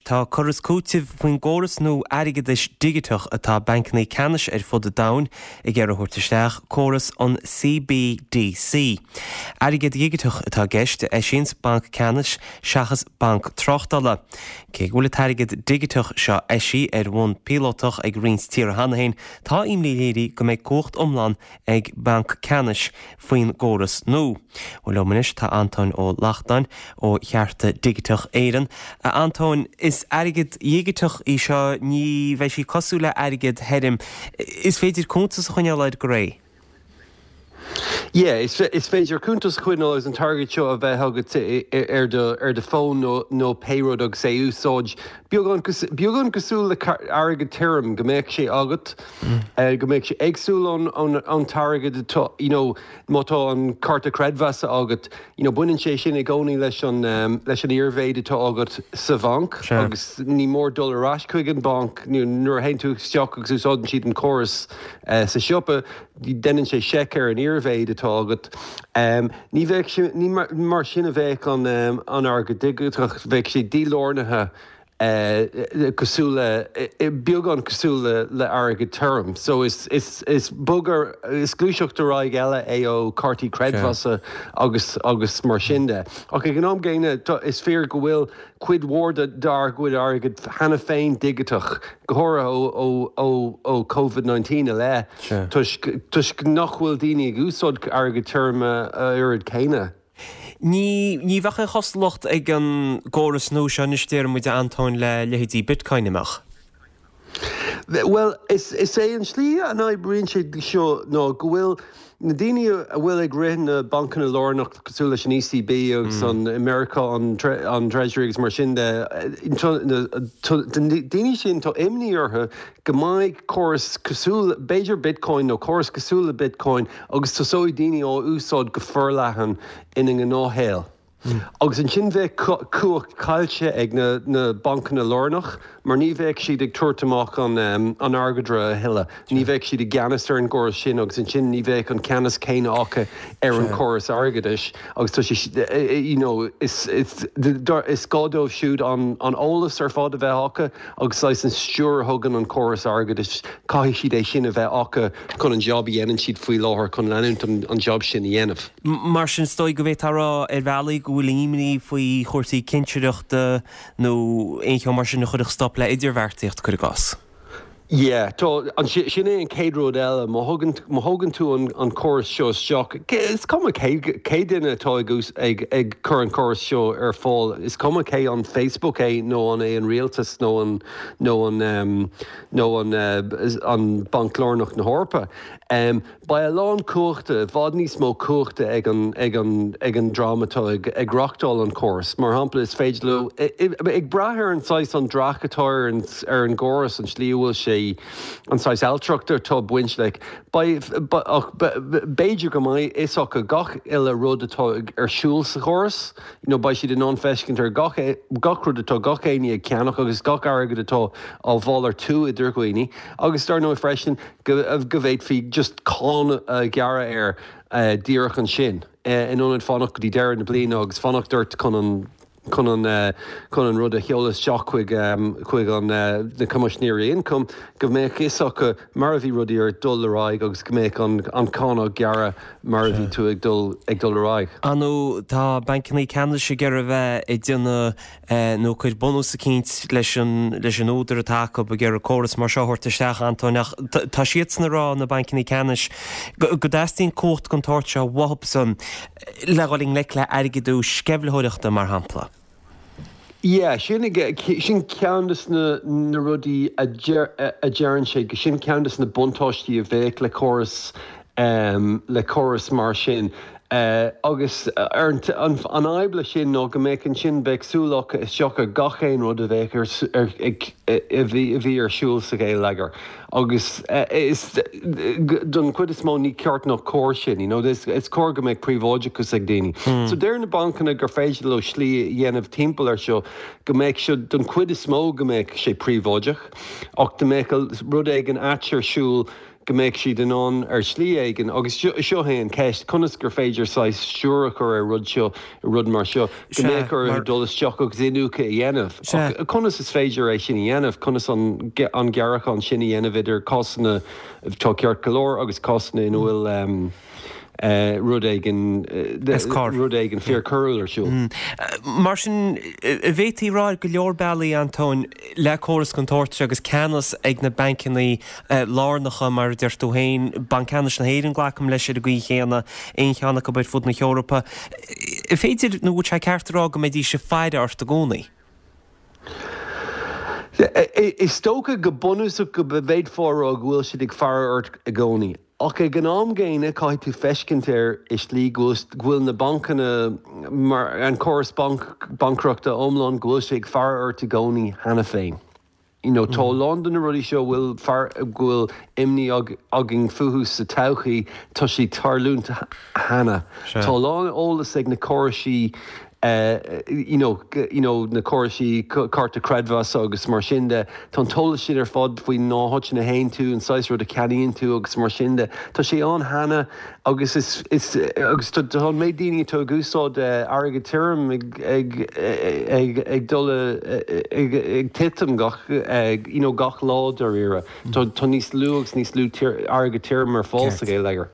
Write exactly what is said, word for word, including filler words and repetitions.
Tá cur is cúiteamh faoin gcóras nua airgeadais digiteach atá bancanna ceannais ar fud an domhain ag iarraidh a thabhairt isteach, córas an C B D C. Airgead digiteach atá i gceist a eisíonns banc ceannais seachas banc tráchtála. Cé go bhfuil an t-airgead digiteach seo eisithe ar bhonn píolótach ag roinnt tíortha cheana féin, tá imní léirithe go mbeidh cumhacht iomlán ag banc ceannais faoin gcóras nua. Bhuel, liom anois tá Antóin Ó Lachtáin ó Chearta Digiteach Éireann. A Antóin, is airgead digiteach í seo, ní bheidh sí cosúil le airgead thirim. Is féidir cuntas a choinneáil air go réidh. Yeah, is, is féidir cuntas a choinneáil agus an t-airgead seo a bheith agat ar do ar do fón nó nó pé rud agus é úsáid beagán beagán cosúil le airgead tirim, go mbeadh sé agat mm. uh, go mbeadh sé éagsúil an an, an t-airgead, you know, má tá an cárta creidmheasa agat, you know, baineann sé sin i gcónaí leis an um, leis an iarmhéid atá agat sa bhanc agus ní mór dul ar ais chuig an banc nuair a théann tú isteach agus úsáideann siad an córas uh, sa siopa, déanann sé seic ar an iarmhéid atá agat. Um, ní bheidh ní mar, mar sin a bheidh an um, an airgead digiteach, bheidh sé dílárnaithe uh, cosúil le beagán cosúil le, le airgead tirim. So is, is, is bogar is gluaiseacht ar aghaidh eile é ó cártaí creidmheasa agus agus mar sin de. Ach ag an am gcéanna, is fíor go bhfuil cuid mhór dár gcuid airgead cheana féin digiteach, go háirithe ó ó ó ó COVID naoi déag i leith, toisc nach bhfuil daoine ag úsáid airgead tirim a oiread céanna. Ní ní bheadh aon chosúlacht ag an gcóras nua seo anois, deir muid, Antóin, le leithéidí Bitcoin amach. Well, is, is é an slí a n-oibríonn sé seo ná go bhfuil na daoine a bhfuil ag rith na bancanna lárnach, cosúil leis an E C B agus mm. an America, an, an Treasury agus mar sin de, daoine sin, tá imní orthu go mbeidh córas cosúil b'fhéidir Bitcoin nó córas cosúil le Bitcoin agus tosóidh daoine á úsáid go forleathan ina ngnáthshaol. Mm. Agus ansin bheadh cumhacht caillte ag na, na bancanna lárnach, mar ní bheadh siad ag tabhairt amach an, um, an airgeadra a thuilleadh. Ní bheadh siad i gceannas ar an gcóras sin agus ansin ní bheadh an ceannas céanna acu ar an córas airgeadais agus tá sé you know, is, is, is gá dóibh siúd an, an eolas ar fad a bheith acu agus leis an stiúir a thugann an córas airgeadais, caithfidh siad é sin a bheith acu chun an job a dhéanann siad faoi láthair, chun leanúint an, an job sin a dhéanamh. Mar sin, is dóigh go bhféadfá a rá ar bhealaí go bhfuil imní faoi chúrsaí cinsireachta nó aon cheo mar sin a chuirfeadh stop le idirbheartaíocht, cuir i gcás. Yeah, tá an sin é an chéad rud eile. má thugann tú an, an córas seo isteach, is cuma cé duine atá ag, ag, ag cur an córas seo ar fáil, is cuma cé an Facebook é nó an é an rialtas nó an nó an um, nó an, uh, an Banc Lárnach na hEorpa. Um, Beidh a lán cumhachta, i bhfad níos mó cumhachta ag an, ag an, ag an dream atá ag, ag reáchtáil an córas. Mar shampla, is féidir leo ag brath ar an saghas an dreach atá ar an, ar an gcóras, an slí bhfuil sé, an saghas ailtireachta atá baint le, b'fhéidir go mbeidh fhios acu gach uile rud atá ar siúl sa chóras, you know, beidh siad in ann feiscint ar gach, gach rud atá gach éinne ag ceannach agus gach airgead atá á mhalartú idir dhaoine, agus dar ndóigh freisin go, go bhféadfaí just cáin a ghearradh air uh, díreach ansin uh, in ionad fanacht go dtí deireadh na bliana agus fanacht ort chun an chun an uh, chun an rud a sheoladh isteach chuig um, chuig an uh, na Coimisinéirí Ioncaim, go mbeadh fhios acu mar a bhí rudaí ar dul ar aghaidh agus go mbeadh an, an cáin á gearradh mar a bhí tú ag dul ag dul ar aghaidh. Anú tá bancanna ceannais ag iarraidh bheith ag déanamh nó cuid bunús eicínt leis an leis an údar atá acu ag iarraidh córas mar seo a thabhairt isteach, Antóin, ach tá siad ag rá, na bancanna ceannais, go dteastaíonn cumhacht den tsórt seo uathusan le dhul i ngleic le airgeadú sceimhlitheoireachta, mar shampla. Yeah, sin sin ceann de na, na rudaí a deireann sé, go sin ceann de na buntáistí a bheadh le córas um, le córas mar sin. Uh, agus ar an, an, an fhadhb le sin ná go mbeadh ansin bheadh súil acu isteach ar gach aon rud a bheadh ar, a bhí a bhí ar siúl sa gheilleagar. Agus uh, is don chuid is mó ní ceart nach cóir sin, you know, is, is cóir go mbeadh príobháideachas ag daoine. Mm. So deir na bancanna gur féidir leo slí a dhéanamh timpeall ar seo, go mbeadh seo don chuid is mó go mbeadh sé príobháideach, ach go mbeadh rud éigin ait ar siúl. go mbeidh siad in ann ar shlí éigin agus seo é an ceist conas gur féidir saghas stiúir a chur ar rud seo rud mar seo go mbeadh orthu dul isteach agus iniúchadh a dhéanamh. Conas is féidir é sin a dhéanamh, conas an an gearrachán sin a dhéanamh idir cásanna atá ceart go leor agus cásanna ina bhfuil um, Uh, rud éigin uh, rud éigin fíorchoiriúil ar siúl. Mm. Mar sin bhféadfaí rá go leor bealaí Antóin le córas den tsórt seo agus ceannas ag na bancanna lárnacha mar a deir tú féin, Banc Ceannais na hÉireann glacaim leis ar an gcaoi chéanna, aon cheann acu ar fud na hEorpa. Féidir nó bhfuil sé ceart a rá go mbeidís ag faire ort i gcónaí? Is dócha go bunúsach go bhféadfá a rá go bhfuil siad ag faire ort i gcónaí. Ach ag an am gcéanna caithfidh tú feiscint ar i slí go bhfuil na bancanna mar an córas banc bancaíochta iomlán go bhfuil sé ag faire ort i gcónaí cheana féin. You know, tá a lán de na rudaí seo bhfuil go bhfuil imní againn fúthu sa todhchaí tá sé tarlúint cheana. Tá a lán eolas ag na córaisí Uh, you know, you know, na córaisí cárta creidmheasa agus mar sin de Tá an t-eolas sin ar fad faoi na háiteanna a théann tú an saghas rud a cheannaíonn tú agus mar sin de. Tá sé ann cheana agus is, is, agus tá an méid daoine atá ag úsáid uh, airgead tirim ag, ag, ag, ag dul ag, ag titim gach, ag, you know, gach lá dáiríre. Mm. Tá, tá níos lú agus níos lú airgead tirim ar fáil sa gheilleagar.